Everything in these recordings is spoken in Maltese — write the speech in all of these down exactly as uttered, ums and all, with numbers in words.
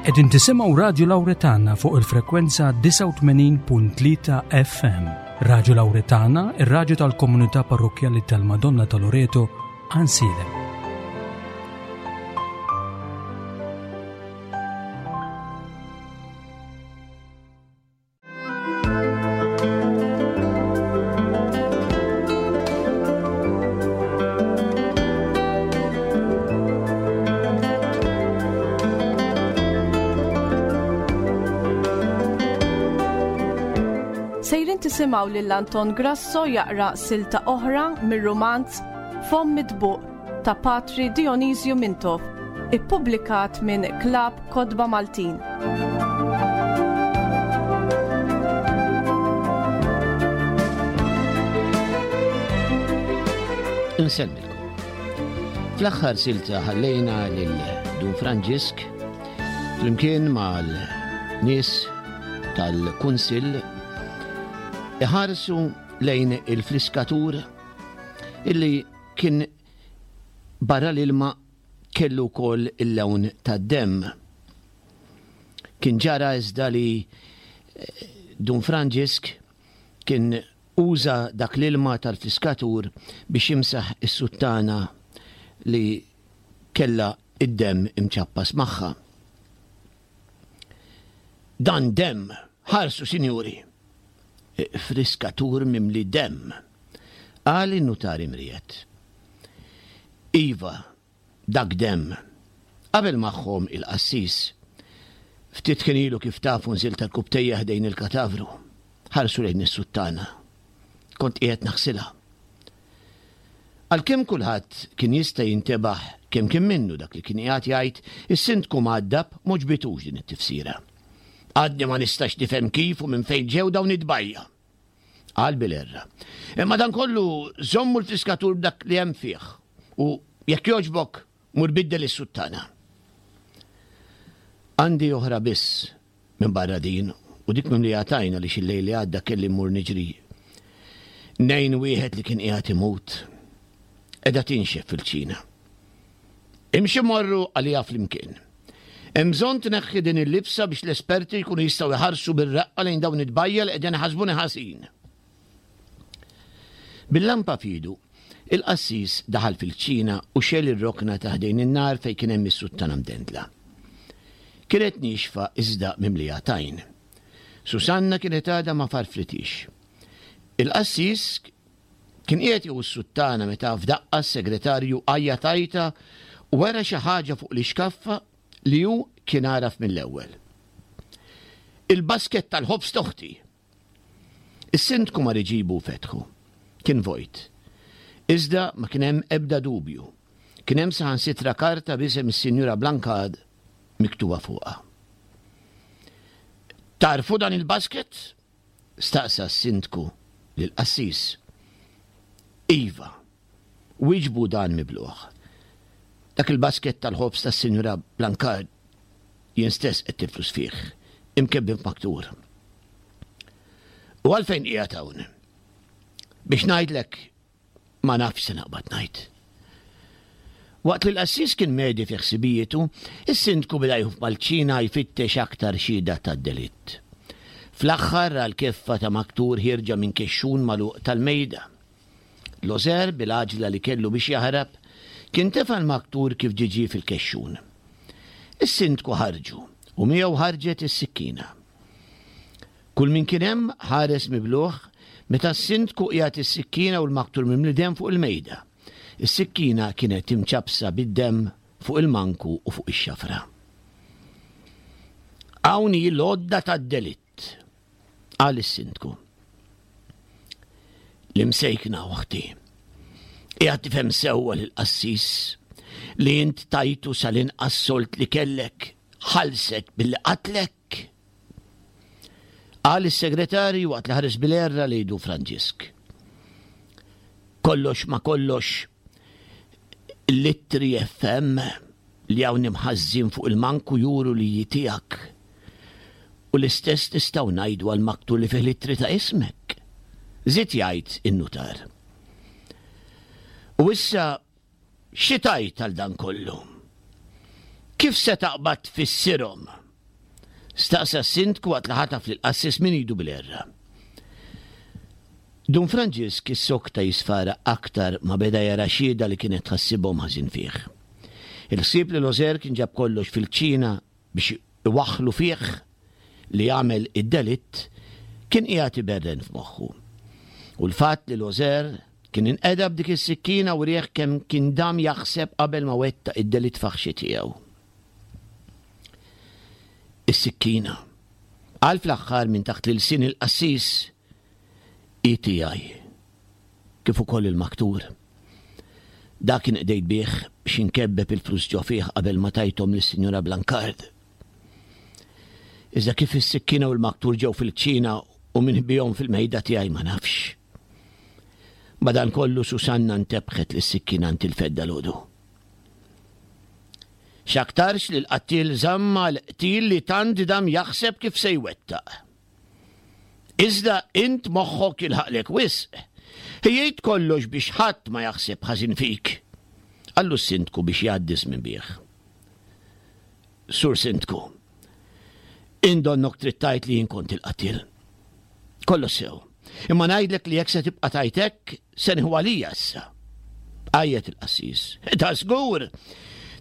Qegħdin tisimgħu Radju Lawretana fuq il-frekwenza disgħa u tmenin punt tlieta F M. Radju Lawretana, ir-radju tal-komunità parrokkjali tal-Madonna ta' Loreto, Għajnsielem. Sejrin tisimgħu lil Anton Grasso jaqra silta oħra mir-rumanz Fomm Mitbuq ta' Patri Dionisju Mintoff, ippubblikat minn Klabb Kotba Maltin. Insellmilkom. Fl-aħħar silta ħallejna lil Dun Franġisk flimkien mal-nies tal-Kunsill iħarsu lejn il-fliskatur illi kien barra l-ilma kellu wkoll il-lewn tad-demm. Kien ġara iżda li, eh, Dun Franġisk kien uża dak l-ilma tal-fliskatur biex jimsaħ is-suttana li kella id-demm imċappas magħha. Dan demm, ħarsu sinjuri, friskatur mimli demm, qal in-nutar imriet. Iva, dak demm. Qabel magħhom il-qassis. Ftit kien ilu kif tafu nżilt tal-kubtejja ħdejn il-katavru. Ħarsu lejn is-suttana. Kont qiegħed naħsilha. Għalkemm kulħadd kien jista' jintebaħ kemm kien minnu dak li kien qiegħed jgħid, is-sindku mgħaddab m'għoġbitux din it-tifsira. Għadni ma nistax nifhem kif u minn fejn ġew dawn id-dbajja. Qal bil-erra. Imma dan kollu żommu l-fiskatur b'dak li hemm fih u jekk jogħġbok mur biddel is-suttana. Għandi oħra biss minn barra din u dik minn li għatajna li xillej li għadda kelli mmur niġri. Nejn wieħed li kien qiegħed imut. Qiegħda tinxef fil-ċina. Imxi morru għalija flimkien. Hemm bżonn tneħħi din il-libsa biex l-esperti jkunu jistgħu jħarsu bir-raqqa lejn dawn id-dbajja li qegħdin iħasbuni ħażin. Bil-lampa fidu, il-qassis daħal fil-ċina u xel ir-rokna ta' ħdejn in-nar fejn kien hemm is-suttana mdendla. Kienet nixfa iżda mimlija tajn. Susanna kienet għadha ma farfritix. Il-qassis kien qiegħed jieħu s-suttana meta f'daqqa s-segretarju għajja tajta u wera xi ħaġa fuq l-ixkaffa li hu kien għaraf mill-ewwel. Il-basket tal-ħobż toħti. Is-sindku mar iġibu fetħu. Kien vojt. Iżda ma kien hemm ebda dubju. Kien hemm saħansitra karta b'isem is-Sinjura Blancard miktuba fuqha. Tarfu dan il-basket? Staqsa s-sindku lill-qassis. Iva, wieġbu dan mibluħ. Dak il-basket tal-ħobż tas-Sinjura Blancard jien stess qed tiflus fih, imkebbin f'maktur. U għalfejn qiegħed hawn? Biex ngħidlek ma nafx se naqbad ngħid. Waqt li l-qassis kien medi fi ħsibijietu, is-sindku beda jħuf mal-ċina jfittex aktar xhieda tad-delitt. Fl-aħħar ra l-keffa ta' maktur ħierġa minn kexxun magħluq tal-mejda. Lozer bil-għaġla li kellu biex jaħrab kien tefa' l-maktur kif ġiġi fil-kexxun. Is-sindku ħarġu u miegħu ħarġet is-sikkina. Kull min kien hemm ħares mibluħ meta s-sindku qiegħed is-sikkina u l-maktur mimli demm fuq il-mejda. Is-sikkina kienet imċapsa bid-demm fuq il-manku u fuq ix-xafra. Hawn hi l-għodda tad-delitt, qal is-sindku. L-imsejkna oħti. Qiegħed tifhem sewwa lill-qassis li int tajtu sal-inqas solt li kellek ħalsek billi qatlek. Qal is-segretarju waqt li ħares bil-erra li jdu Franġisk. Kollox ma kollox l-ittri F M li hawn imħażżin fuq il-manku juru li jitijak. U l-istess nistgħu ngħidu għal maktur li fih l-ittri ta' ismek. Żied jgħid in-nutar. U issa xi tajt għal dan kollu? Kif se taqbad tfissirhom? Staqsa s-sindku waqt li ħataf lill-qassis minn idu bil-herra. Dun Franġisk issokta jisfara aktar ma beda jara xhieda li kienet tħassibhom ħażin fih. Il-ħsieb li Lożer kien ġab kollox fil-kċina biex iwaħħlu fih li għamel id-delitt kien qiegħed iberren f'moħħu. U l-fatt li Lożer kien inqeda b'dik is-sikkina wrieh kemm kien dam jaħseb qabel ma wettaq id-delitt faħxi tiegħu. Is-sikkina. Qal fl-aħħar minn taħt l-ilsien il-qassis hi tiegħi, kif ukoll il-maktur. Dak inqdejt bih biex inkebbeb il-flus ġo fih qabel ma tajthom lis-Sinjura Blancard. Iżda kif is-sikkina u l-maktur ġew fil-kċina u min ħbihom fil-mejda tiegħi ma nafx. Madankollu Susanna ntebħet li s-sikkina ntilfet dalgħodu. X'aktarx li l-qattiel żamm għall-qtil li tant dam jaħseb kif se jwettaq. Iżda int moħħok jilħaqlek wisq. Ħejjejt kollox biex ħadd ma jaħseb ħażin fik. Qallu s-sindku biex jgħaddi żmien bih. Sur Sindku, int donnok trid tgħid li jien kont il-qattiel. Kollox sew. Imma ngħidlek li jekk se tibqa' tgħid hekk, se nieħu għalija issa. Għajjet il-qassis. Ta' żgur!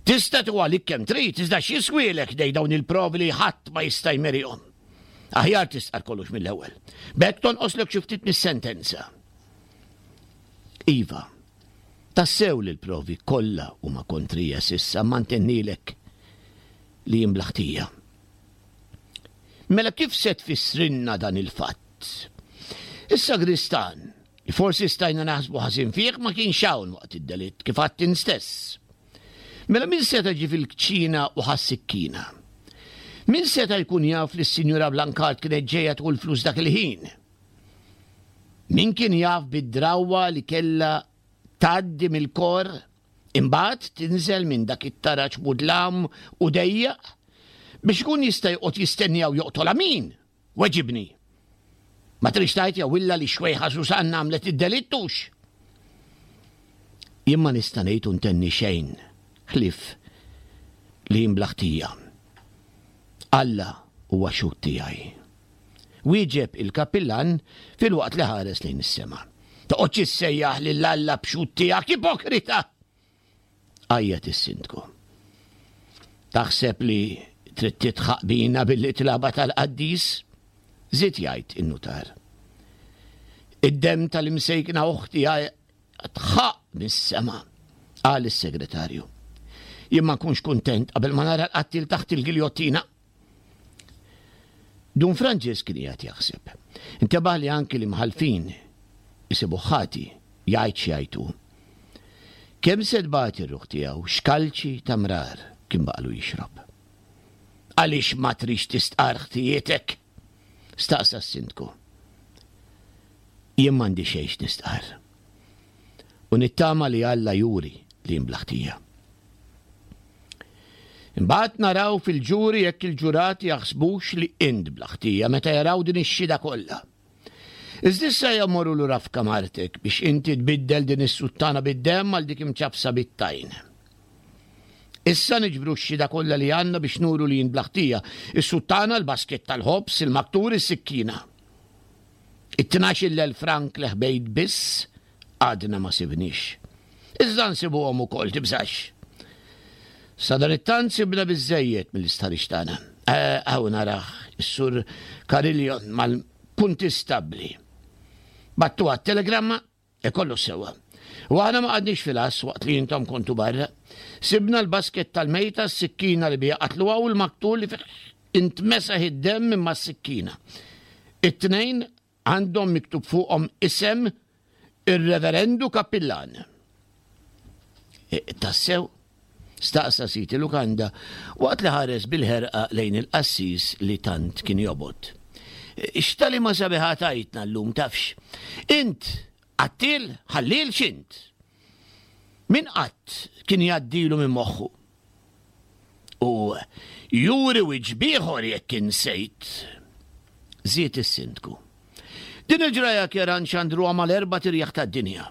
Tista' tieħu għalik kemm trid, iżda x'jiswielek ħdej dawn il-provi li ħadd ma jista' jmerihom. Aħjar tistqar kollox mill-ewwel. B'hekk tonqoslek xi ftit mis-sentenza. Iva, tassew li l-provi kollha huma kontrija s'issa, imma ntennilek li jien bla ħtija. Mela kif se tfissrilna dan il-fatt? Is-sagristan, li forsi stajna naħsbu ħażin fih, ma kienx hawn waqt id-delitt, kif għadt int stess. Mela min seta' ġie fil-kċina u ħa s-sikkina? Min seta' jkun jaf li s-Sinjura Blancard kienet ġejja tieħu l-flus dak il-ħin? Min kien jaf bid-drawwa li kellha tgħaddi mill-kor, imbagħad tinżel minn dak it-taraġ mudlam u dejjaq biex ikun jista' joqgħod jistenniha u joqtolha min? Weġibni. Ma tridx tgħid jew illa li x-xwejħa Susanna għamlet id-delitt hux? Jien ma nista' ngħid u ntenni xejn ħlief li jien bla ħtija. Alla huwa xhud tiegħi. Wieġeb il-kappillan filwaqt li ħares lejn is-sema. Toqgħodx issejjaħ lil Alla b'xhud tiegħek, ipokrita! Għajjat is-sindku. Taħseb li trid tidħaq bina billi tilgħabha tal-qaddis? Żied jgħid in-nutar. Id-demm tal-imsejkna oħti tħaq mis-sema, qal is-segretarju. Jien ma nkunx kuntent qabel ma nara l-qattil taħt il-giljottina. Dun Franġisk kien qiegħed jaħseb. Intebaħ li anki l-imħallfin isibuh ħati, jgħid x'jgħid hu. Kemm se tbati r-ruħ tiegħu, x'kalċi ta' mrar kien baqalu jixrob. Għaliex ma tridx tistqarr ħtijietek? Staqsa s-sindku. Jien m'għandi xejn x'nistqarr. U nittama li Alla juri li jien bla ħtija. Imbagħad naraw fil-ġuri jekk il-ġurati jaħsbux li int bla ħtija meta jaraw din ix-xhieda kollha. Iżda issa ejja mmorru lura f'kamartek biex inti tbiddel din is-suttana bid-demm għal dik imċappsa bit-tajn. Issa niġbru x-xhieda kollha li għandna biex nuru li jien bla ħtija, is-suttana, l-basket tal-ħobż, il-maktur, is-sikkina. It-tnax-il elf frank li ħbejt biss għadna ma sibniex. Iżda nsibuhom ukoll, tibżax. Sadanittant sibna biżżejjed mill-istħarriġ tagħna. Hawn narah is-Sur Carillion mal-kuntistabbli. Battuha t-telegramma? E kollox sewwa. U aħna ma qgħadniex fil-għass waqt li intom kontu barra. Sibna l-basket tal-mejta, s-sikkina li biha qatluha u l-maktul li fih intmesaħ id-demm minn mas-sikkina. It-tnejn għandhom miktub fuqhom isem ir-Reverendu Kappillan. E, tassew? Staqsa sid il-lukanda waqt li ħares bil-ħerqa lejn il-qassis li tant kien jobgħod. X'tagħlima sabiħa tajtna llum tafx. Int qattiel, ħalliel x'int? Min qatt kien jgħaddilu minn moħħu? U juri wiċċ b'ieħor jekk insejt, żied is-sindku. Din il-ġraja kera nxandruha mal-erbat irjaħ tad-dinja.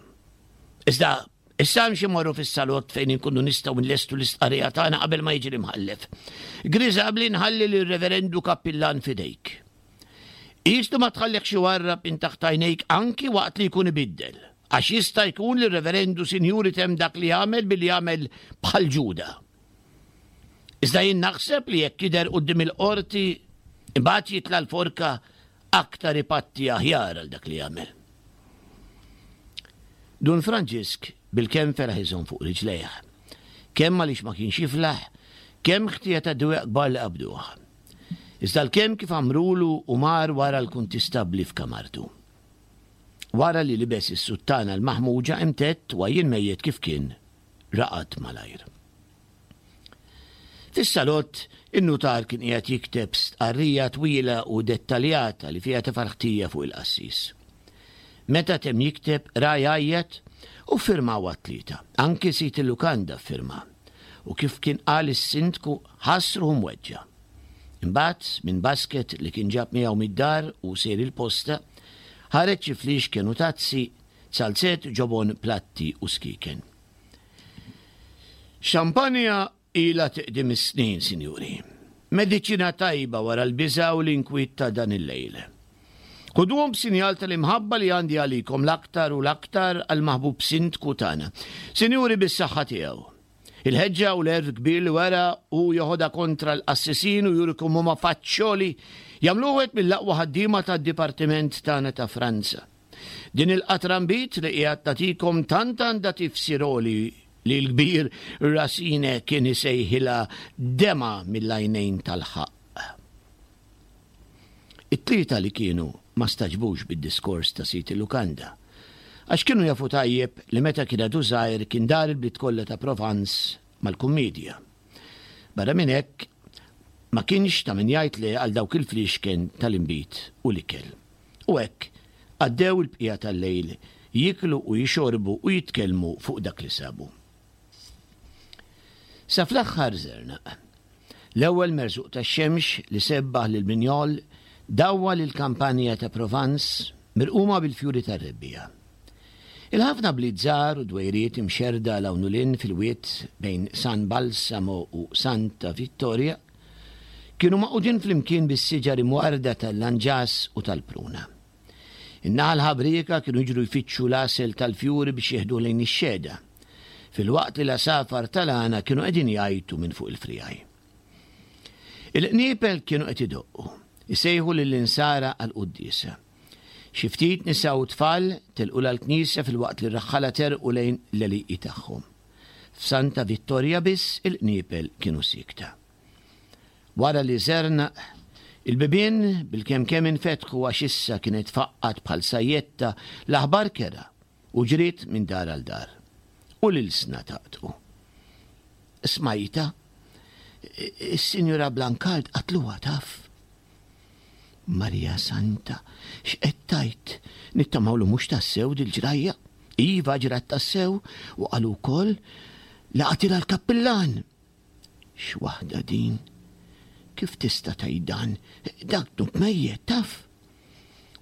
Iżda Issa imxi morru fis-salott fejn inkunu nistgħu nlestu l-istqarrija tagħna qabel ma jiġi l-imħallef. Griżabli nħalli lir-Reverendu Kappillan f'idejk. Qis li ma tħallihx iwarrab minn taħt għajnejk anki waqt li jkun ibiddel, għax jista' jkun li r-Reverendu Sinjur itemm dak li għamel billi jagħmel bħal Ġuda. Iżda jien naħseb li jekk jidher quddiem il-qorti, imbagħad jitla' l-forka aktar ipatti aħjar għal dak li għamel. Dun Franġisk bilkemm feraħ iżomm fuq riġlejh. Kemm għaliex ma kienx jiflaħ, kemm ħtija ta' dwejjaq kbar li qabduh. Iżda l-kemm kif għamrulu u mar wara l-kuntistabbli f'kamartu. Wara li libes is-suttana l-maħmuġa imtedd u għajjien mejjet kif kien, raqad malajr. Fis-salott, in-nutar kien qiegħed jikteb stqarrija twila u dettaljata li fiha tefa' l-ħtija fuq il-qassis. Meta temm jikteb, ra jgħajjat u ffirmaw għat-tlieta. Anki sid il-lukanda ffirma. U kif kien qal is-sindku, ħass ruħu mweġġa'. Imbagħad, minn basket li kien ġab miegħu mid-dar u sejr il-posta, ħareġ xi fliexken u tazzi, zalzett, ġobon, platti u skieken. Xampanja ilha tiqdim is-snin, sinjuri. Mediċina tajba wara l-biża' u l-inkwiet ta' dan il-lejl. Ħuduhom b'sinjal tal-imħabba li għandi għalikom l-aktar u l-aktar għall-maħbub sindku tagħna. Sinjuri bis-saħħa tiegħu. Il-ħeġġa u l-għerf kbir li wera hu joħodha kontra l-qassisin u juri kemm huma faċċoli jagħmluh wieħed mill-aqwa ħaddiema tad-dipartiment tagħna ta' Franza. Din il-qatra nbid li qiegħed nagħtikom tant għandha tifsir għoli li l-kbir Racine kien isejħilha demgħa mill-għajnejn tal-ħaqq. It-tlieta li kienu ma stagħġbux bid-diskors ta' sid il-lukanda, għax kienu jafu tajjeb li meta kien għadu żgħir kien dar il-bliet kollha ta' Provence mal-kummiedja. Barra minn hekk, ma kienx ta' min jgħid le għal dawk il-fliexken tal-inbid u l-ikel. U hekk għaddew il-bqija tal-lejl jieklu u jixorbu u jitkellmu fuq dak li sabu. Sa fl-aħħar żernaq. L-ewwel merżuq tax-xemx li sebbaħ lil Brignoles dawwal il-kampanja ta' Provence mirquma bil-fjuri tar-rebbiegħa. Il-ħafna bliet żgħar u dwejriet imxerrda 'l hawn u 'l hinn fil-wied bejn San Balsamo u Santa Vittoria kienu magħqudin flimkien bis-siġar imwarrda tal-lanġas u tal-pruna. In-naħal ħabrieka kienu jiġru jfittxu l-għasel tal-fjuri biex jeħduh lejn ix-xehda, filwaqt li l-għasafar tal-għana kienu qegħdin jgħajtu minn fuq il-friegħi. Il-qniepel kienu qed idoqqu, isejħu lill-insara għall-quddiesa. Xi ftit nisa u tfal telqu l-knisja filwaqt li r-raħħala terqu lejn l-għelieqi tagħhom. F'Santa Vittoria biss il-qniepel kienu siekta. Wara li żernaq, il-bibien bilkemm kemm infetħu għax issa kienet faqqgħet bħal sajjetta l-aħbar kerha u ġriet minn dar għal dar. U l-ilsna taqtqu. Smajta, is-Sinjura Blancard qatluha taf. Marija Santa, x'qed tgħid? Nittamaw li mhux tassew dil-ġrajja. Iva ġrat tassew u qalu wkoll li qatilha l-kappillan. X'waħda din? Kif tista' tgħid dan? Dak dnub mejjet taf.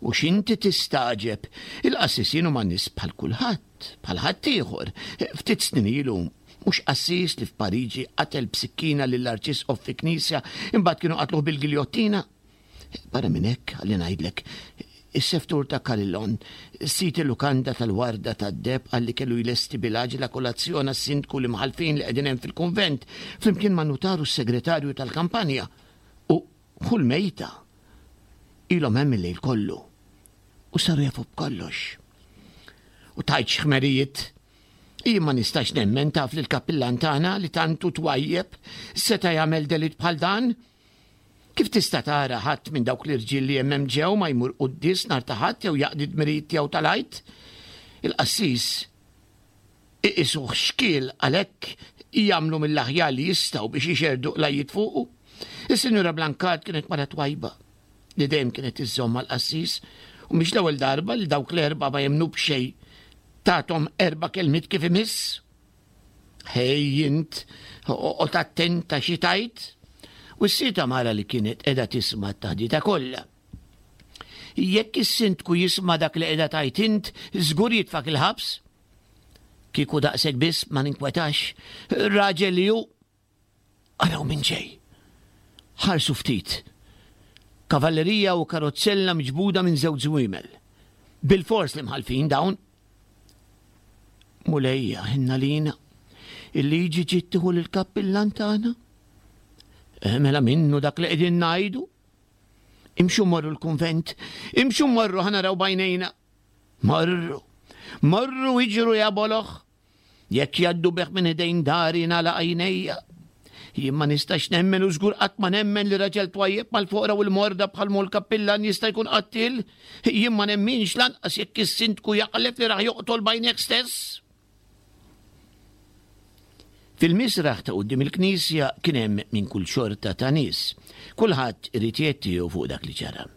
U x'inti tistagħġeb? Il-qassisin huma nies bħal kulħadd, bħal ħaddieħor. Ftit snin ilu mhux qassis li f'Pariġi qatel b'sikkina lill-arċisqof fi knisja imbagħad kienu qatluh bil-giljottina. Barra minn hekk, ħalli ngħidlek, is-seftur ta' Carillon, sid il-lukanda tal-Warda tad-Deheb qal li kellu jlesti bil-għaġla kolazzjon għas-sindku l-imħallfin li qegħdin hemm fil-kunvent flimkien man-nutar u s-segretarju tal-kampanja. U ħu l-mejta ilhom hemm il-lejl kollu u saru jafu b'kollox. U tgħidx x'ħmerijiet. Jien ma nistax nemmen taf li l-kappillan tagħna li tant hu twajjeb seta' jagħmel delitt bħal dan. Kif tista' tara ħadd minn dawk l-irġiel li hemm hemm ġew ma jmur quddies nhar ta' Ħadd jew jaqdi d-dmirijiet tiegħu tal-Għid? Il-qassis iqisuh xkiel għalhekk jagħmlu mill-aħjar li jistgħu biex ixerrdu qlajjiet fuqu. Is-Sinjura Blancard kienet mara twajba li dejjem kienet iżżomm mal-qassis u mhix l-ewwel darba li dawk l-erba' ma jemmnu b'xejn tathom erba' kelmiet kif imiss. Ħej int, oqgħod attenta xi tgħid. U s-sita mara li kienet qiegħda tisma' t-taħdita kollha. Jekk is-sindku jisma' dak li qiegħda tgħid int, żgur jitfak il-ħabs. Kieku daqshekk biss ma ninkwetax, raġel li hu. Araw min ġej. Ħarsu ftit. Kavallerija u karozzella miġbuda minn żewġ żwiemel. Bilfors l-imħallfin dawn. Mulejja, ħenna lina. Il-liġi ġiet tieħu lill-kappillan tagħna. Eh, mela minnu dak li qegħdin ngħidu. Imxu morru l-kunvent, imxu morru ħa naraw b'għajnejna. Morru, morru iġru ja boloh. Jekk jgħaddu bih minn ħdejn dari nagħlaq għajnejja. Jien ma nistax nemmen u żgur qatt ma nemmen li raġel twajjeb mal-foqra u l-morda bħal mhu l-kappillan jista' jkun qattil. Jien ma nemminx lanqas jekk is-sindku jaħlef li rah joqtol b'għajnejh stess. Fil-misraħ ta' quddiem il-knisja kien hemm minn kull xorta ta' nies. Kulħadd irid jgħid tiegħu fuq dak li ġara.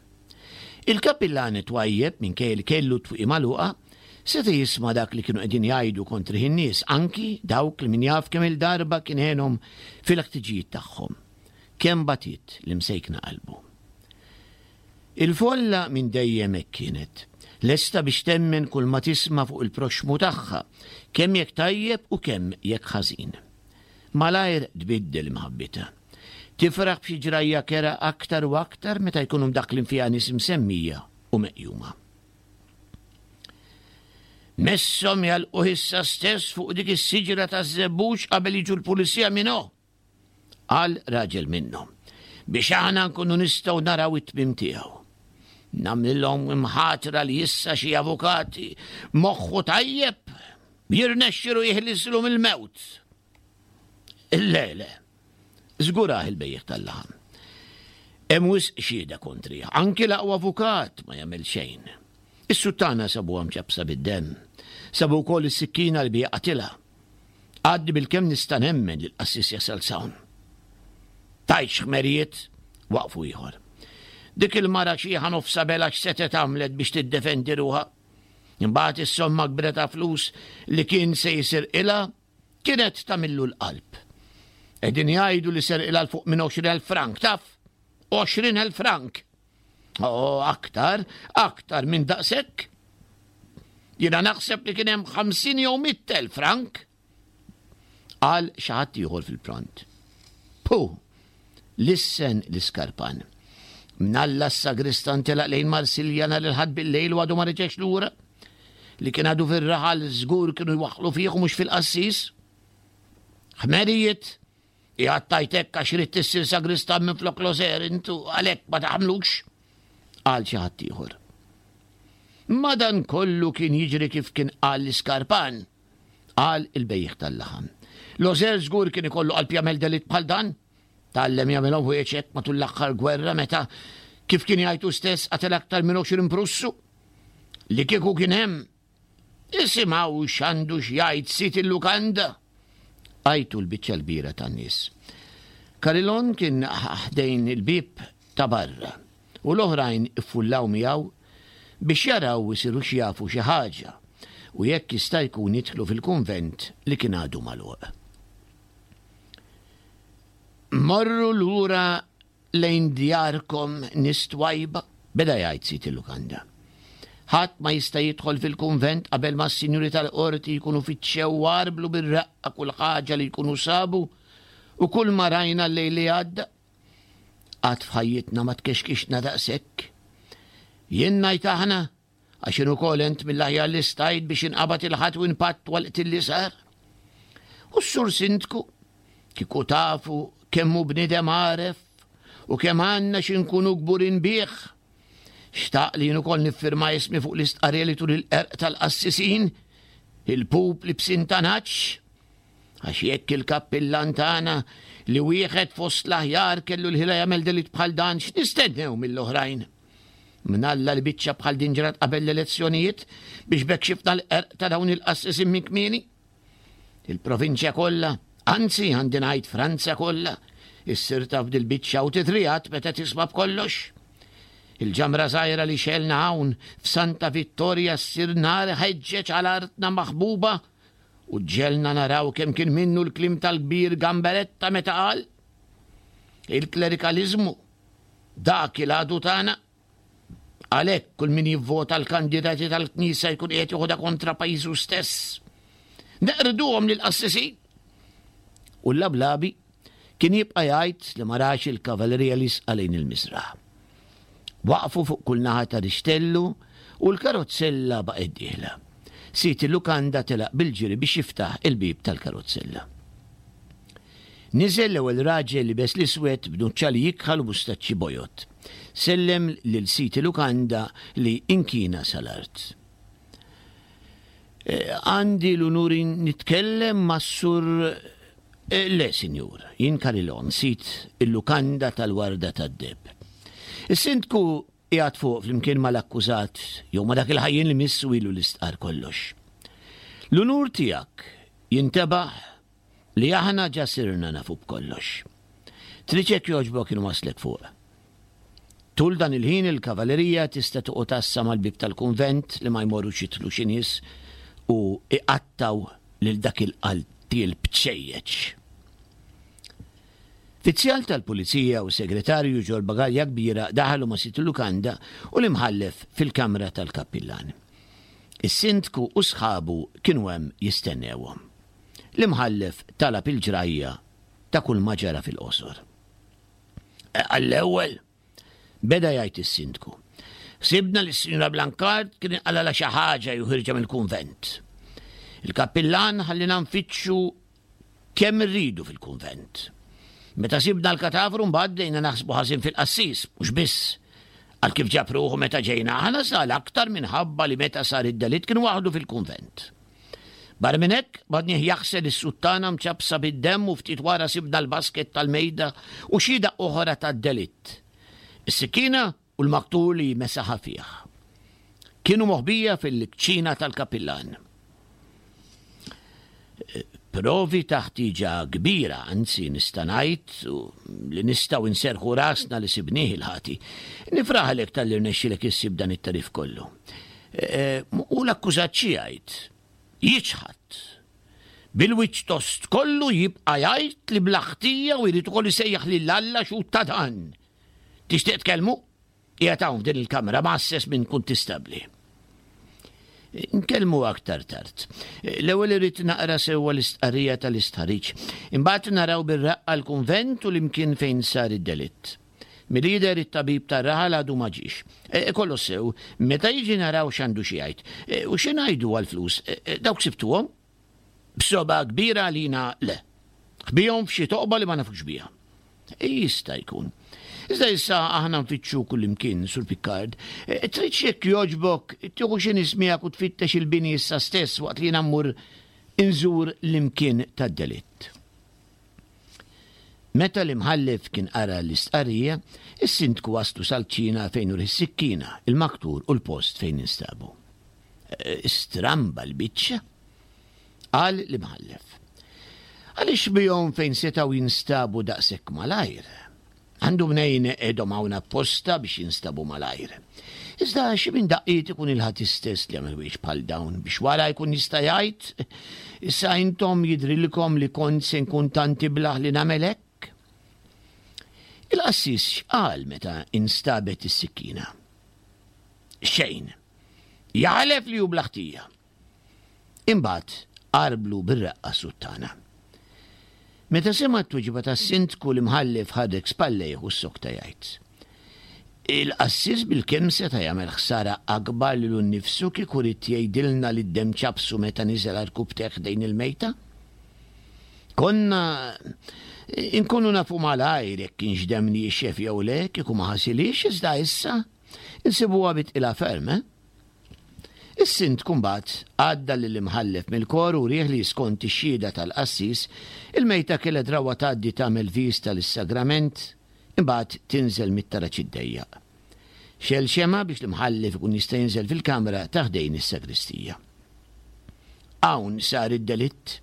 Il-kappillan twajjeb minkejja li kellu t-twieqi magħluqa seta' jisma' dak li kienu qegħdin jgħidu kontrih in-nies, anki dawk li min jaf kemm-il darba kien għenhom fil-ħtiġijiet tagħhom. Kemm batiet l-imsejkna qalbu. Il-folla minn dejjem hekk kienet, lesta biex temmen kull ma tisma' fuq il-proxxmu tagħha, kemm jekk tajjeb u kemm jekk ħażin. Malajr tbiddel imħabbitha. Tifraħ b'xi ġrajja kerha aktar u aktar meta jkunu mdaħħlin fiha nies imsemmija u meqjuma. Messhom jagħlquh issa stess fuq dik is-siġra taż-żebbuġ qabel jiġu l-pulizija minn hu, qal raġel minnhom, biex aħna nkunu nistgħu naraw it-tmiem tiegħu. Nagħmlilhom imħatra li issa xi avukati moħħu tajjeb jirnexxilu jeħlislu mill-mewt. Le, le, żgurah il-bejjiegħ tal-laħam. Hemm wisq xhieda kontrih, anki l-aqwa avukat ma jagħmel xejn. Is-suttana sabuha mċappsa bid-demm. Sabu wkoll is-sikkina li biha qatilha. Għadni bilkemm nista' nemmen li l-qassis jasal s'hawn. Tgħidx ħmerijiet, waqfu ieħor. Dik il-mara xiħa nofsha bela x'setgħet għamlet biex tiddefendi ruħha. Imbagħad is-somma kbira ta' flus li kien se jisirqilha kienet tagħmillu l-qalb. Qegħdin jgħidu li serqilha 'l fuq minn għoxrin elf frank, taf? Għoxrin elf frank! Oh, aktar, aktar minn daqshekk. Jiena naħseb li kien hemm ħamsin jew mitt elf frank. Qal xi ħadd ieħor fil-pront. Puh! Lissen l-iskarpan. Mnalla s-sagristan telaq lejn Marsilja nhar il-Ħadd bil-lejl u għadu ma reġax lura. Li kien għadu fir-raħal żgur kienu jwaħħlu fih u mhux fil-qassis. Ħmerijiet! Qiegħed tgħid hekk għax ridt issir sagristan minflok Loser int u għalhekk ma taħmlux, qal xi ħadd ieħor. Madankollu kien jiġri kif kien qal l-iskarpan, qal il-bejjiegħ tal-laħam. Loser żgur kien ikollu qalb jagħmel delitt bħal dan. Tgħallem jagħmilhom ħwejjeġ hekk matul l-aħħar gwerra meta, kif kien jgħid hu stess, qatel aktar minn għoxrin Prussu. Li kieku kien hemm, Isimgħu x'għandu x'jgħid sid il-lukanda! Għajtu l-biċċa l-kbira tan-nies. Carilon kien ħdejn il-bieb ta' barra u l-oħrajn iffullaw miegħu biex jaraw isirux jafu xi ħaġa u jekk jista' jkun jidħlu fil-kunvent li kien għadu magħluq. Morru lura Lejn djarkom, nies twajba, beda jgħid sid il-lukanda. Ħadd ma jista' jidħol fil-kunvent qabel ma s-sinjuri tal-qorti jkunu fittxew u għarblu bir-reqqa kull ħaġa li jkunu sabu u kull ma rajna l-lejl li għadda. Qatt f'ħajjitna ma tkexkixna daqshekk. Jien ngħid aħna, għax jien ukoll għent mill-aħjar li stajt biex inqabad il-ħadd u npatt għall-qtil li sar. U s-sur sindku, kieku tafu kemm hu bniedem għaref u kemm għandna xi nkunu kburin bih. Xtaq li jien ukoll niffirma ismi fuq l-istqarrija li turi l-qerq tal-qassisin, il-pup libsin ta' nagħaġ. Għax jekk il-kappillan tagħna li wieħed fost l-aħjar kellu l-ħila jagħmel delitt bħal dan, x'nistennew mill-oħrajn? Mnalla li biċċa bħal din ġrat qabel l-elezzjonijiet biex b'hekk xifna l-qerq ta' dawn il-qassisin minn kmieni. Il-provinċja kollha, anzi għandi ngħid Franza kollha, issir taf dil-biċċa u titriegħed meta tisma' b'kollox. Il-ġamra żgħira li xegħelna hawn f'Santa Vittoria ssir nar iħeġġeġ għal artna maħbuba u ġġegħelna naraw kemm kien minnu l-kliem tal-kbir Gamberetta meta qal, Il-klerikaliżmu, dak il-għadu tagħna. Għalhekk kull min jivvota l-kandidati tal-Knisja jkun qiegħed joħodha kontra pajjiżu stess. Neqirduhom lill-qassisin! U l-lablabi kien jibqa' jgħid li ma rax il-kavallerija liesqa lejn il-misraħ. Waqfu fuq kull naħa ta' rixtellu u l-karozzella baqgħet dieħla. Sid il-lukanda telaq bil-ġiri biex jiftaħ il-bieb tal-karozzella. Niżel l-ewwel raġel libes l-iswed b'nuċċali jikħal u mustaċċi bojod. Sellem lil sid il-lukanda li inkina sal-art. Eh, għandi l-unur nitkellem mas-sur eh, Le, sinjur, jien Karilon, sid il-lukanda tal-Warda tad-Deheb. Is-sindku qiegħed fuq flimkien mal-akkużat jew ma' dak il-ħajjin li missu ilu li stqarr kollox. L-unur tiegħek jintebaħ li aħna ġa sirna nafu b'kollox. Trid jekk jogħġbok inwasslek fuq. Tul dan il-ħin il-kavallerija tista' toqgħod għassa mal-bieb tal-kunvent li ma jmorrux jidħlu xi nies u iqattgħu lil dak il-qaltiel bċejjeċ. Fizzjal tal-pulizija u segretarju ġol bagalja kbira daħlu ma' sid il-lukanda u l-imħallef fil-kamra tal-kappillan. Is-sindku u sħabu kienu hemm jistennewhom. L-imħallef talab il-ġrajja ta' kull ma ġara fil-qosor. Għall-ewwel, beda jgħid is-sindku, ħsibna li s-Sinjura Blancard kien inqalalha xi ħaġa jew ħirġa mill-kunvent. Il-kappillan ħallina nfittxu kemm irridu fil-kunvent. Meta sibna l-katavru mbagħad bdejna naħsbu ħażin fil-qassis, mhux biss għal kif ġab ruħu meta ġejna aħna sa l-aktar minħabba li meta sar id-delitt kien waħdu fil-kunvent. Barra minn hekk, badnieh jaħsel is-suttana mċappsa bid-demm u ftit wara sibna l-basket tal-mejda u xhieda oħra tad-delitt. Is-sikkina u l-maktur li mesaħa fih. Kienu moħbija fil-kċina tal-kapillan. Provi ta' ħtieġa kbira, anzi nista' ngħid li nistgħu nserrħu rasna li sibnieh il-ħati. Nifraħlek talli rnexxilek issib dan it-tagħrif kollu. U l-akkużat xi jgħid? Jiċħad. Bil-wiċċ tost kollu jibqa' jgħid li bla ħtija u jrid ukoll isejjaħ lil Alla xhud ta' dan. Tixtieq tkellmu? Qiegħed hawn f'din il-kamra mgħasses minn kuntistabbli. Nkellmu aktar tard. L-ewwel irrid naqra sewwa l-istqarrija tal-istħarriġ. Imbagħad naraw bir-raqqa l-kunvent u l-imkien fejn sar id-delitt. Milli jidher it-tabib tar-raħal għadu ma ġiex. Kollox sew, meta jiġi naraw x'għandu xi jgħid. U xi ngħidu għall-flus? Dawk sibtuhom? B'sogħba kbira għalina le. Ħbihom f'xi toqba li ma nafux biha. Jista' jkun. Iżda issa aħna nfittxu kullimkien, Sur Piccard. Tridx jekk jogħġbok tieħu xi nies miegħek u tfittex il-bini issa stess waqt li jiena mmur inżur l-imkien tad-delitt. Meta l-imħallef kien qara l-istqarrija, is-sindku waslu sal-kċina fejn urieh is-sikkina, il-maktur u l-post fejn instabu. Stramba l-biċċa, qal l-imħallef. Għaliex bihom fejn setgħu jinstabu daqshekk malajr? Għandu mnejn qegħdhom hawn apposta biex jinstabu malajr. Iżda xi minn daqqiet ikun il-ħati stess li għamel wiex bħal dawn biex wara jkun jista' jgħid, issa intom jidhrilkom li kont se nkun tant iblah li nagħmel hekk? Il-qassis x'qal meta instabet is-sikkina? Xejn. Jaħlef li hu bla ħtija. Imbagħad qarblu bir-reqqa suttana. Meta sema' t-tweġiba tas-sindku l-imħallef ħadek spallejh u ssokta jgħid. Il-qassis bilkemm seta' jagħmel ħsara akbar lilu nnifsu kieku ried jgħidilna li d-demm ċappsu meta niżel għarkupptejh ħdejn il-mejta. Konna inkunu nafu malajr jekk kienx demm niexef jew le kieku ma ħasilhiex iżda issa insibuha bi tqila ferm, eh? Is-sindku mbagħad għadda lill-imħallef mill-kor u wrieh li skont ix-xhieda tal-qassis, il-mejta kellha drawwa tgħaddi tagħmel viżta lis-sagrament, imbagħad tinżel mit-taraġ id-dejjaq. Xegħel xemgħa biex l-imħallef ikun jista' jinżel fil-kamra ta' ħdejn is-sagristija. Hawn sar id-delitt.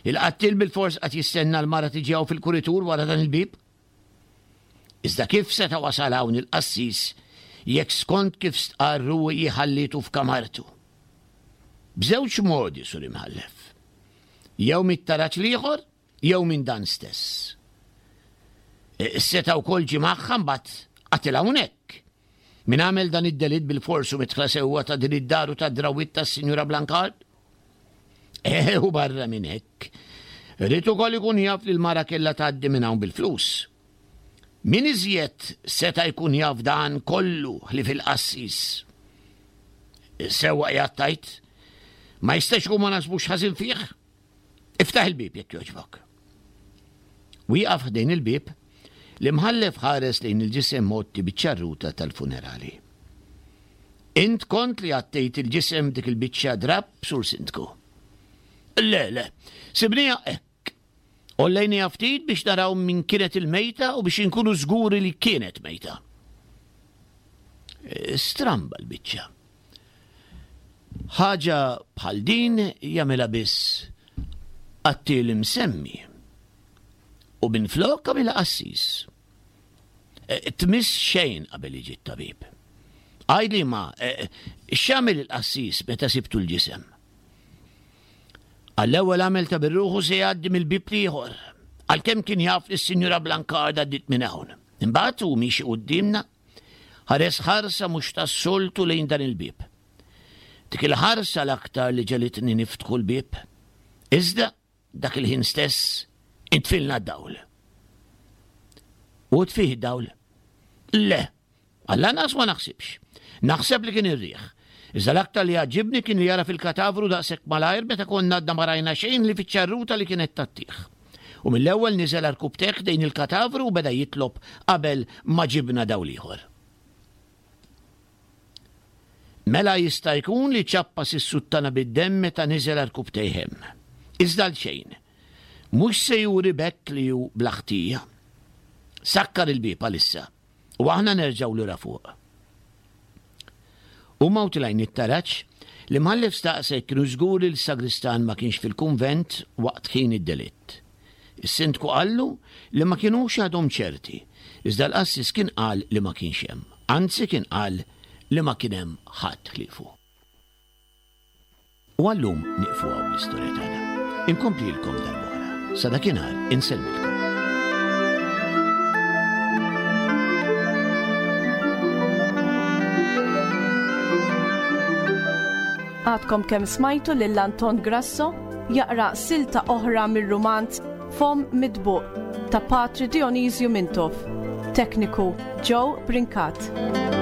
Il-qattiel bilfors qagħad jistenna l-mara tiġi hawn fil-kuritur wara dan il-bieb. Iżda kif seta' wasal hawn il-qassis jekk skont kif stqarr hu hi ħallietu f'kamartu? B'żewġ modi, Sur Imħallef. Jew mit-taraġ l-ieħor jew minn dan stess. Seta' wkoll ġie magħha mbagħad qatilha hawnhekk. Min għamel dan id-delitt bilfors hu midħla sewwa ta' din id-dar u tad-drawwiet tas-Sinjura Blancard? Eh, u barra minn hekk. Ried ukoll ikun jaf li l-mara kellha tgħaddi minn hawn bil-flus. Min iżjed seta' jkun jaf dan kollu ħlief il-qassis? Sewwa qiegħed tgħid? Ma jistax ikun ma nasbux ħażin fih? Iftaħ il-bieb jekk jogħġbok. Wieqaf ħdejn il-bieb, l-imħallef ħares lejn il-ġisem mgħotti biċ-ċarruta tal-funerali. Int kont li għattejt il-ġisem dik il-biċċa drapp, Sur Sindku? Le, le, sibniha hekk. Għollejniha ftit biex naraw min kienet il-mejta u biex inkunu żguri li kienet mejta. Stramba l-biċċa. Ħaġa bħal din jagħmilha biss qattiel imsemmi. U minflok għamilha qassis. E, tmiss xejn qabel jiġi t-tabib. Għidli ma, e, x'għamel il-qassis meta sibtu l-ġisem? Għall-ewwel għamel ta' birruħu se jgħaddi mill-bieb l-ieħor, għalkemm kien jaf li s-Sinjura Blancard għaddiet minn hawn. Imbagħad hu miexi quddiemna, ħares ħarsa mhux tas-soltu lejn dan il-bieb. Dik il-ħarsa l-aktar li ġegħlitni niftħu l-bieb. Iżda, dak il-ħin stess, intfilna d-dawl. U tfih id-dawl? Le, għall-anqas ma naħsibx. Naħseb li kien ir-riħ. Iżda l-aktar li għaġġibni kien li jara fil-katavru daqshekk malajr meta konna għadna ma rajna xejn li fiċ-ċarruta li kienet tgħattih. U mill-ewwel niżel għarkupptejh ħdejn il-katavru u beda jitlob qabel ma ġibna dawl ieħor. Mela jista' jkun li ċappas is-suttana bid-demm meta niżel għarkupptejh hemm. Iżda għalxejn. Mhux se juri b'hekk li hu bla ħtija. Sakkar il-bieb għalissa u aħna nerġgħu lura fuq. Huma u tilgħin it-taraġ, l-imħallef staqsa jekk kienu żguri li s-sagristan ma kienx fil-kunvent waqt ħin id-delitt. Is-sindku qallu li ma kinux għadhom ċerti, iżda l-qassis kien qal li ma kienx hemm, anzi kien qal li ma kien hemm ħadd ħliefu. U għal-lum nieqfu hawn bl-istorja tagħna. Inkomplilkom darb'oħra. Sa dakinhar insellmilkom. Għadkom kemm smajtu lil Anton Grasso jaqra silta oħra mir-rumanz Fomm Mitbuq ta' Patri Dionisju Mintoff. Tekniku Joe Brincat.